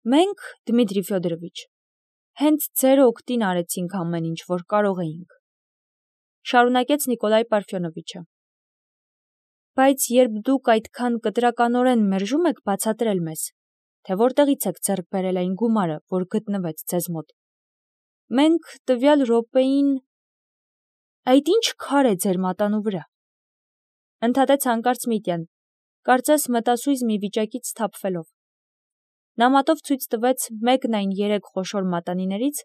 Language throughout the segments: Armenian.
Մենք, Դմիտրի Ֆյոդորովիչ, հենց ձեր օգտին արեցինք ամեն ինչ, որ կարող էինք, շարունակեց Նիկոլայ Պարֆյոնովիչը։ Բայց երբ դուք այդքան կտրականորեն մերժում եք բացատրել մեզ, թե որտեղից եք ձեռք բերել այն գումարը, որ գտնվեց ձեզ մոտ, մենք տվյալ րոպեին… Այդ ինչ քար է ձեր մատանու վրա, ընդհատեց հանկարծ Միտյան, կարծես մտասույզ մի վիճակից սթափվելով։ Նա մատով ցույց տվեց մեկն այն 3 խոշոր մատանիներից,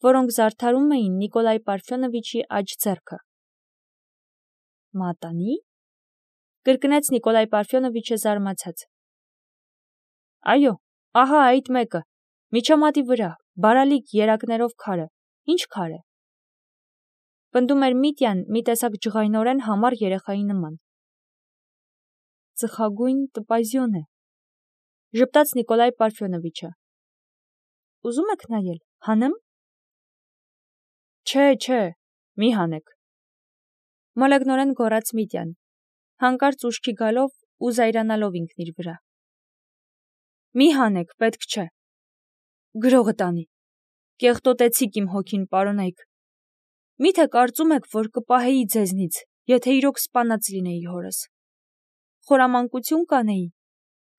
որոնք զարդարում էին Նիկոլայ Պարֆյոնովիչի աջ ձեռքը։ Մատանի՞… կրկնեց Նիկոլայ Պարֆյոնովիչը զարմացած։ Այո, ահա այդ մեկը, միջամատի վրա, բարալիկ երակներով քարը, ինչ քար է։ Պնդում էր Միտյան մի տեսակ ջղայնորեն համառ երեխայի նման։ Ծխագույն տպազյոն է, ժպտաց Նիկոլայ Պարֆյոնովիչը։ Ուզում եք նայել, հանեմ։ Չէ, մի հանեք, մոլեգնորեն գոռաց Միտյան, հանկարծ ուշքի գալով ու զայրանալով ինքն իր վրա։ Մի հանեք, պետք չէ։ Գրողը տանի, կեղտոտեցիք իմ հոգին, պարոնայք։ Միթե կարծում եք, որ կպահեի ձեզնից, եթե իրոք սպանած լինեի հորս։ Խորամանկություն կանեի,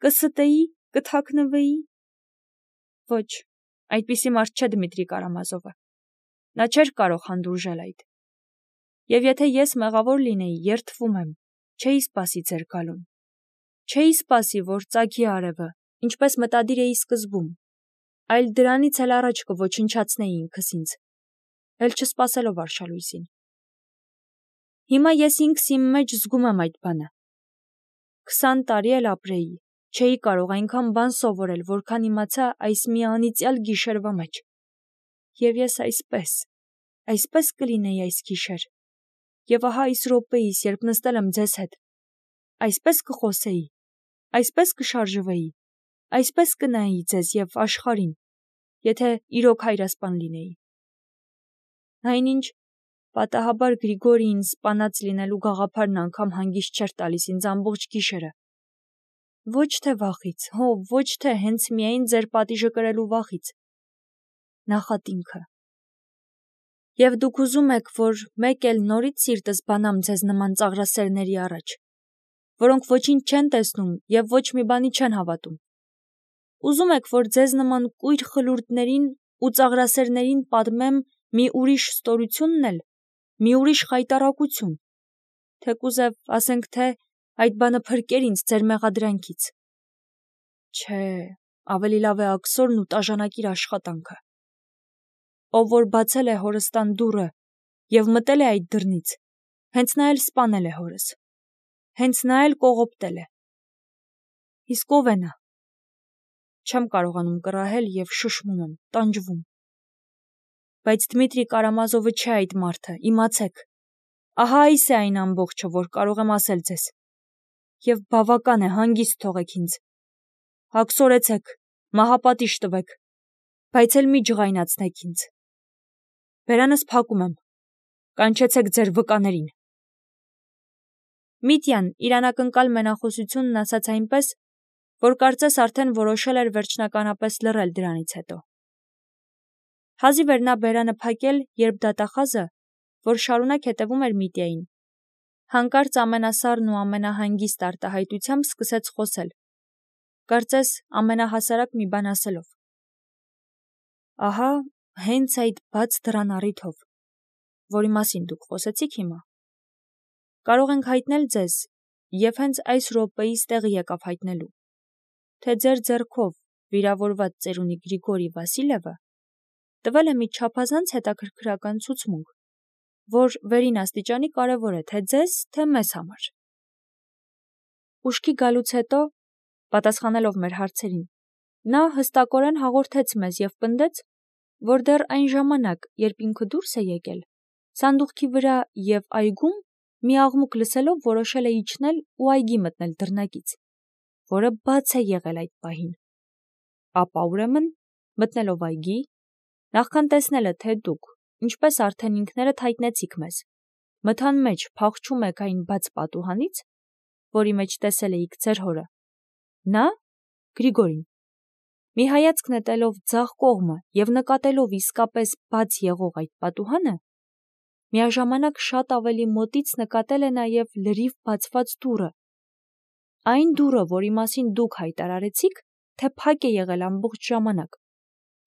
կստեի, կթաքնվեի։ Ոչ, այդպիսի մարդ չէ Դմիտրի Կարամազովը։ Նա չէր կարող հանդուրժել այդ։ Եվ եթե ես մեղավոր լինեի, երդվում եմ, չէի սպասի ձեր գալուն։ Չէի սպասի, որ ծագի արևը, ինչպես մտադիր էի սկզբում, այլ դրանից էլ առաջ կոչնչացնեի ինքս ինձ, էլ չսպասելով արշալույսին։ Հիմա ես ինքս իմ մեջ զգում եմ այդ բանը։ 20 տարի էլ ապրեի, չէի կարող այնքան բան սովորել, որքան իմացա այս մի անիծյալ գիշերվա մեջ։ Եվ ես այսպես կլինեի այս գիշեր, և ահա այս րոպեիս, երբ նստել եմ ձեզ հետ, այսպես կխոսեի, այսպես կշարժվեի, այսպես կնայեի ձեզ և աշխարհին, եթե իրոք հայրասպան լինեի։ Այնինչ, պատահաբար Գրիգորիին սպանած լինելու գաղափարն անգամ հանգիստ չէր տալիս ինձ ամբողջ գիշերը։ Ոչ թե վախից, ոչ թե հենց միայն ձեր պատիժը կրելու վախից, նախատինքը։ Եվ դուք ուզում եք, որ մեկ էլ նորից սիրտս բանամ ձեզ նման ծաղրասերների առաջ, որոնք ոչինչ չեն տեսնում և ոչ մի բանի չեն հավատում։ Ուզում եք, որ ձեզ նման կույր խլուրդներին ու ծաղրասերներին պատմեմ մի ուրիշ ստորությունն էլ, մի ուրիշ խայտառակություն, թեկուզև ասենք թե այդ բանը փրկեր ինձ ձեր մեղադրանքից։ Չէ, ավելի լավ է աքսորն ու տաժանակիր աշխատանքը։ Ով որ բացել է հորս տան դուռը և մտել է այդ դռնից, հենց նա էլ սպանել է հորս, հենց նա էլ կողոպտել է։ Իսկ ով է նա։ Չեմ կարողանում կռահել և շշմում եմ, տանջվում։ Բայց Դմիտրի Կարամազովը չէ այդ մարդը, իմացեք։ Ահա այս է այն ամբողջը, որ կարող եմ ասել ձեզ։ Եվ բավական է, հանգիստ թողեք ինձ։ Աքսորեցեք, մահապատիժ տվեք, բայց էլ մի ջղայնացնեք ինձ։ Բերանս փակում եմ, կանչեցեք ձեր վկաներին։ Միտյան իր անակնկալ մենախոսությունն ասաց այնպես, որ կարծես արդեն որոշել էր վերջնականապես լռել դրանից հետո։ Հազիվ էր նա բերանը փակել, երբ դատախազը, որ շարունակ հետևում էր Միտյային, հանկարծ ամենասառն ու ամենահանգիստ արտահայտությամբ սկսեց խոսել, կարծես ամենահասարակ մի բան ասելով։ Ահա հենց այդ բաց դռան առիթով, որի մասին դուք խոսեցիք հիմա, կարող ենք հայտնել ձեզ, և հենց այս րոպեիս տեղի եկավ հայտնելու, թե ձեր ձեռքով վիրավորված ծերունի Գրիգորի Վասիլևը տվել է մի չափազանց հետաքրքրական ցուցմունք, որ վերին աստիճանի կարևոր է թե ձեզ, թե մեզ համար։ Ուշքի գալուց հետո, պատասխանելով մեր հարցերին, նա հստակորեն հաղորդեց մեզ և պնդեց, որ դեռ այն ժամանակ, երբ ինքը դուրս է եկել, սանդուղքի վրա և այգում մի աղմուկ լսելով որոշել է իջնել ու այգի մտնել դռնակից, որը բաց է եղել այդ պահին։ Ապա ուրեմն, մտնելով այգի, նախքան տեսնելը, թե դուք, ինչպես արդեն ինքներդ հայտնեցիք մեզ, մթան մեջ փախչում եք այն բաց պատուհանից, որի մեջ տեսել էիք ձեր հորը, նա, Գրիգորին, Մի հայացք նետելով ձախ կողմը և նկատելով իսկապես բաց եղող այդ պատուհանը, միաժամանակ շատ ավելի մոտից նկատել է նաև լրիվ բացված դուռը, այն դուռը, որի մասին դուք հայտարարեցիք, թե փակ է եղել ամբողջ ժամանակ,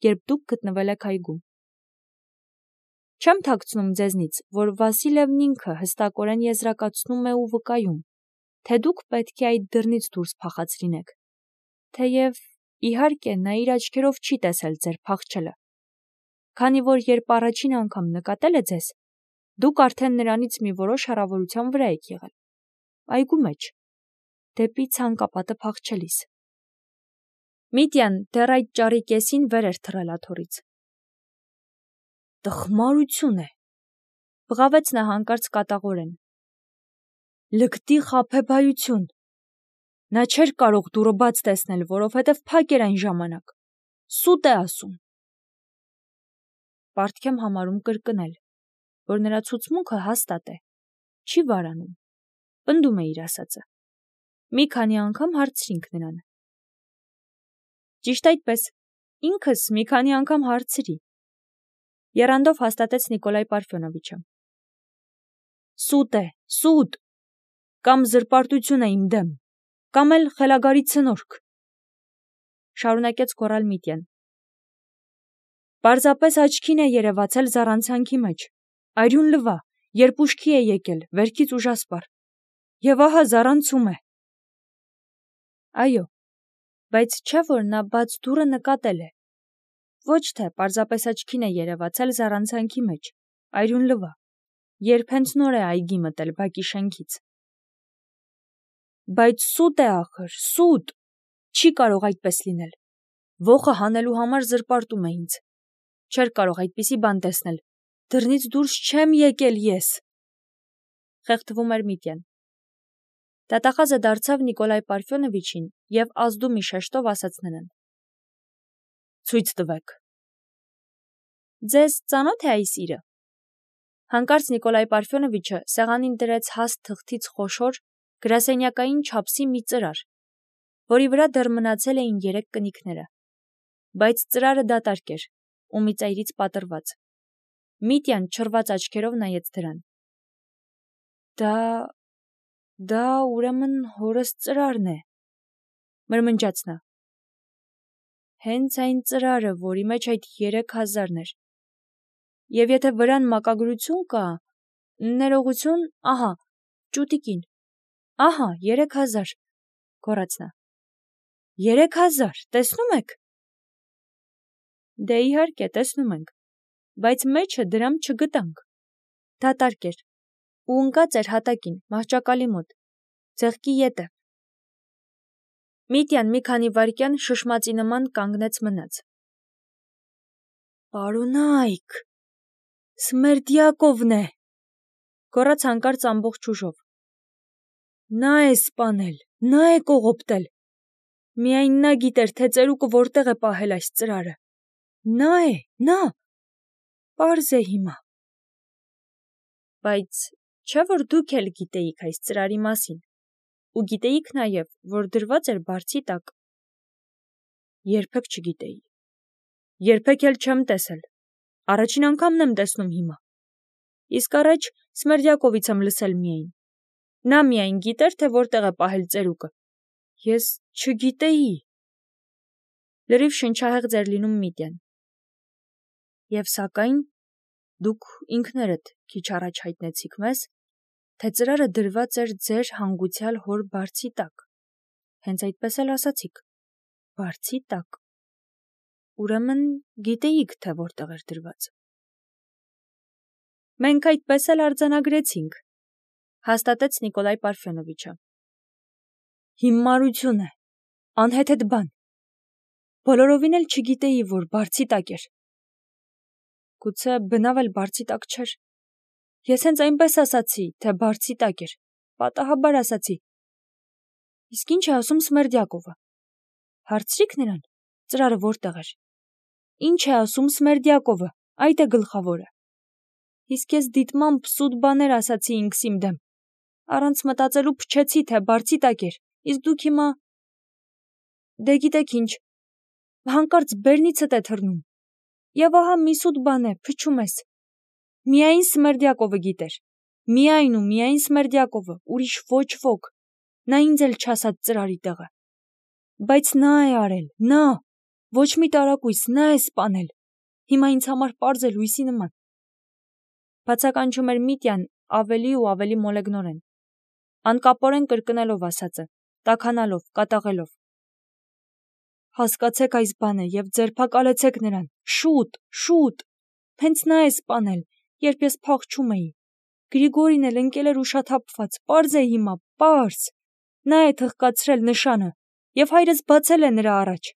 երբ դուք գտնվել եք այգում։ Չեմ թաքցնում ձեզնից, որ Վասիլևն ինքը հստակորեն եզրակացնում է ու վկայում, թե դուք պետք է այդ դռնից դուրս փախած լինեք, թեև իհարկե նա իր աչքերով չի տեսել ձեր փախչելը, քանի որ երբ առաջին անգամ նկատել է ձեզ, դուք արդեն նրանից մի որոշ հեռավորության վրա եք եղել, այգու մեջ, դեպի ցանկապատը փախչելիս։ Միտյան դեռ այդ ճառի կեսին վեր էր թռել աթոռից։ Տխմարություն է, բղավեց նա հանկարծ կատաղորեն։ Լկտի խաբեբայություն։ Նա չէր կարող դուռը բաց տեսնել, որովհետև փակ էր այն ժամանակ։ Սուտ է ասում։ Պարտք եմ համարում կրկնել, որ նրա ցուցմունքը հաստատ է, չի վարանում, պնդում է իր ասածը։ Մի քանի անգամ հարցրինք նրան։ Ճիշտ այդպես, ինքս մի քանի անգամ հարցրի։ Եռանդով հաստատեց Նիկոլայ Պարֆյոնովիչը։ Սուտ է, սուտ, կամ զրպարտություն է իմ դեմ, կամ էլ խելագարի ցնորք, շարունակեց գոռալ Միտյան։ Պարզապես աչքին է երևացել զառանցանքի մեջ, արյուն լվա, երբ ուշքի է եկել, վերքից ուժասպառ, և ահա զառանցում է։ Այո, բայց չէ որ նա բաց դուռը նկատել է, ոչ թե պարզապես աչքին է երևացել զառանցանքի մեջ, այրուն լվա, երբ հենց նոր է այգի մտել բակի շենքից։ Բայց սուտ է ախր, սուտ, չի կարող այդպես լինել, ոխը հանելու համար զրպարտում է ինձ, չէր կարող այդպիսի բան տեսնել, դռնից դուրս չեմ եկել ես, խեղդվում էր Միտյան։ Դատախազը դարձավ Նիկոլայ Պարֆյոնովիչին և ազդու մի շեշտով ասաց նրան. Ցույց տվեք։ Ձեզ ծանոթ է այս իրը։ Հանկարծ Նիկոլայ Պարֆյոնովիչը սեղանին դրեց հաստ թղթից խոշոր, գրասենյակային չափսի մի ծրար, որի վրա դեռ մնացել էին 3 կնիքները, բայց ծրարը դատարկ էր ու մի ծայրից պատռված։ Միտյան չռված աչքերով նայեց դրան։ Դա ուրեմն հորս ծրարն է, մրմնջաց նա։ Հենց այն ծրարը, որի մեջ այդ 3000-ն էր։ Եվ եթե վրան մակագրություն կա, ներողություն, ահա, ճուտիկին, ահա, 3000, գոռաց նա։ 3000, տեսնում եք։ Դե իհարկե, տեսնում ենք, բայց մեջը դրամ չգտանք։ Դատարկ էր ու ընկած էր հատակին, մահճակալի մոտ, ձեղքի ետև։ Միտյան մի քանի վայրկյան շշմածի նման կանգնեց մնաց։ Պարոնայք, Սմերդյակովն է, գոռաց հանկարծ ամբողջ ուժով։ Նա է սպանել, նա է կողոպտել։ Միայն նա գիտեր, թե ծերուկը որտեղ է պահել այս ծրարը։ Նա է, նա։ Պարզ է հիմա։ Բայց չէ՞ որ դուք էլ գիտեիք այս ծրարի մասին, ու գիտեիք նաև, որ դրված էր բարձի տակ։ Երբեք չգիտեի։ Երբեք էլ չեմ տեսել։ Առաջին անգամն եմ տեսնում հիմա։ Իսկ առաջ Սմերդյակովից եմ լսել միայն։ Նա միայն գիտեր, թե որտեղ է պահել ծերուկը։ Ես չգիտեի։ Լրիվ շնչահեղձ էր լինում Միտյան։ Եվ սակայն դուք ինքներդ քիչ առաջ հայտնեցիք մեզ, թե ծրարը դրված էր ձեր հանգուցյալ հոր բարձի տակ։ Հենց այդպես էլ ասացիք. բարձի տակ։ Ուրեմն գիտեիք, թե որտեղ էր դրված։ Մենք այդպես էլ արձանագրեցինք, հաստատեց Նիկոլայ Պարֆյոնովիչը։ Հիմարություն է, անհեթեթ բան։ Բոլորովին էլ չգիտեի, որ բարձի տակ էր։ Գուցե բնավ էլ բարձի տակ չէր։ Ես հենց այնպես ասացի, թե բարձի տակ էր, պատահաբար ասացի։ Իսկ ինչ է ասում Սմերդյակովը։ Հարցրիք նրան, ծրարը որտեղ էր։ Ինչ է ասում Սմերդյակովը, այդ է գլխավորը։ Իսկ ես դիտմամբ սուտ բաներ ասացի ինքս իմ դեմ։ Առանց մտածելու փչեցի, թե բարձի տակ էր, իսկ դուք հիմա… Դե գիտեք ինչ, հանկարծ բերնիցդ է թռնում։ Եվ ահա մի սուտ բան է, փչում ես։ Միայն Սմերդյակովը գիտեր։ Միայն ու միայն Սմերդյակովը, ուրիշ ոչ ոք։ Նա ինձ էլ չասաց ծրարի տեղը։ Բայց նա է արել, նա, ոչ մի տարակույս, նա է սպանել։ Հիմա ինձ համար պարզ է լույսի նման։ Բացականչում էր Միտյան ավելի ու ավելի մոլեգնորեն, անկապորեն կրկնելով ասածը, տաքանալով, կատաղելով։ Հասկացեք այս բանը և ձերբակալեցեք նրան, շուտ, շուտ։ Հենց նա է սպանել, երբ ես փախչում էի։ Գրիգորին էլ ընկել էր ուշաթափված, պարզ է հիմա, պարզ։ Նա է թղկացրել նշանը, և հայրս բացել է նրա առաջ,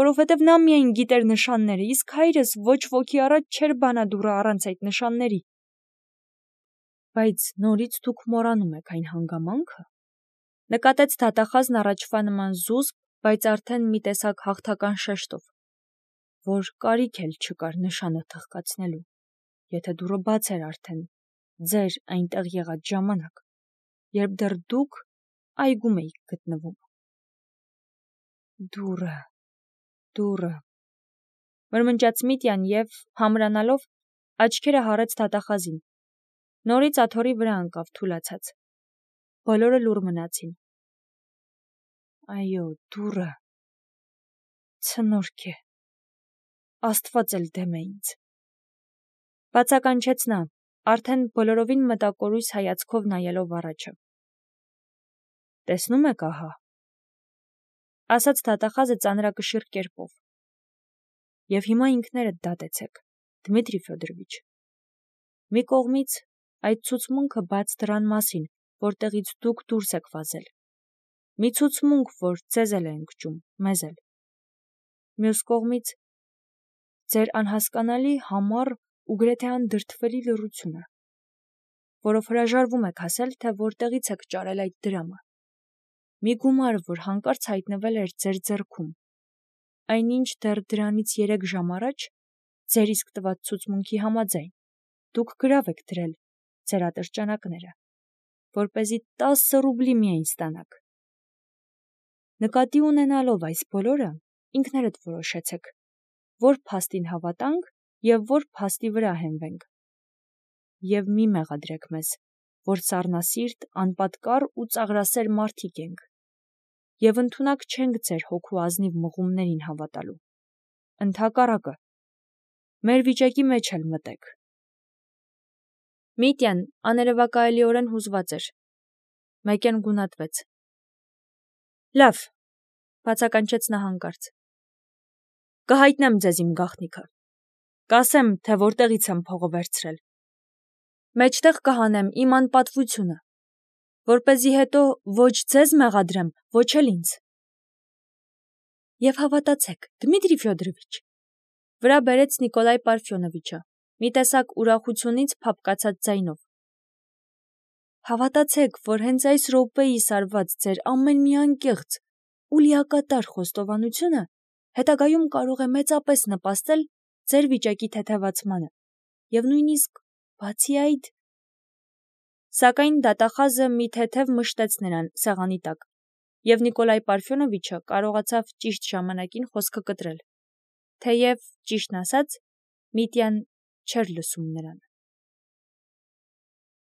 որովհետև նա միայն գիտեր նշանները, իսկ հայրս ոչ ոքի առաջ չէր բանադուռը առանց այդ նշանների։ Բայց նորից դուք մոռանում եք այն հանգամանքը, նկատեց դատախազն առաջվա նման զուսպ, բայց արդեն մի տեսակ հաղթական շեշտով, որ կարիք էլ չկար նշանը թղկացնելու, եթե դուռը բաց էր արդեն, ձեր այնտեղ եղած ժամանակ, երբ դեռ դուք այգում էիք գտնվում։ Դուռը, մրմնջաց Միտյան և, համրանալով, աչքերը հառեց դատախազին, նորից աթոռի վրա ընկավ թուլացած։ Բոլորը լուռ մնացին։ Այո, դուռը, ցնորք է, Աստված էլ դեմ է ինձ։ Բացականչեց նա, արդեն բոլորովին մտակորույս հայացքով նայելով առաջը։ Տեսնում եք ահա, ասաց դատախազը ծանրակշիռ կերպով։ Եվ հիմա ինքներդ դատեցեք, Դմիտրի Ֆյոդորովիչ։ Մի կողմից այդ ցուցմունքը բաց դռան մասին, որտեղից դուք դուրս եք վազել։ Մի ցուցմունք, որ ձեզ էլ է ընկճում, մեզ էլ։ Մյուս կողմից ձեր անհասկանալի, համառ ու գրեթե անդրդվելի լռությունը, որով հրաժարվում եք ասել, թե որտեղից եք ճարել այդ դրամը։ Մի գումար, որ հանկարծ հայտնվել էր ձեր ձեռքում, այնինչ դեռ դրանից 3 ժամ առաջ, ձեր իսկ տված ցուցմունքի համաձայն, դուք գրավ եք դրել ձեր ատրճանակները, որպեսզի 10 ռուբլի միայն ստանաք։ Նկատի ունենալով այս բոլորը, ինքներդ որոշեցեք, որ փաստին հավատանք և որ փաստի վրա հենվենք։ Եվ մի մեղադրեք մեզ, որ սառնասիրտ, անպատկառ ու ծաղրասեր մարդիկ ենք, և ընդունակ չենք ձեր հոգու ազնիվ մղումներին հավատալու։ Ընդհակառակը, մեր վիճակի մեջ էլ մտեք։ Միտյան աներևակայելիորեն հուզված էր։ Մեկեն գունատվեց։ Լավ, բացականչեց նա հանկարծ։ Կհայտնեմ ձեզ իմ գաղտնիքը։ Կասեմ, թե որտեղից եմ փողը վերցրել։ Մեջտեղ կհանեմ իմ անպատվությունը, որպեսզի հետո ոչ ձեզ մեղադրեմ, ոչ էլ ինձ։ Եվ հավատացեք, Դմիտրի Ֆյոդորովիչ, վրա բերեց Նիկոլայ Պարֆյոնովիչը, մի տեսակ ուրախությունից փափկացած ձայնով։ Հավատացեք, որ հենց այս րոպեիս արված ձեր ամեն մի անկեղծ ու լիակատար խոստովանությունը հետագայում կարող է մեծապես նպաստել ձեր վիճակի թեթևացմանը, և նույնիսկ բացի այդ… Սակայն դատախազը մի թեթև մշտեց նրան սեղանի տակ, և Նիկոլայ Պարֆյոնովիչը կարողացավ ճիշտ ժամանակին խոսքը կտրել, թեև, ճիշտն ասած, Միտյան չէր լսում նրան։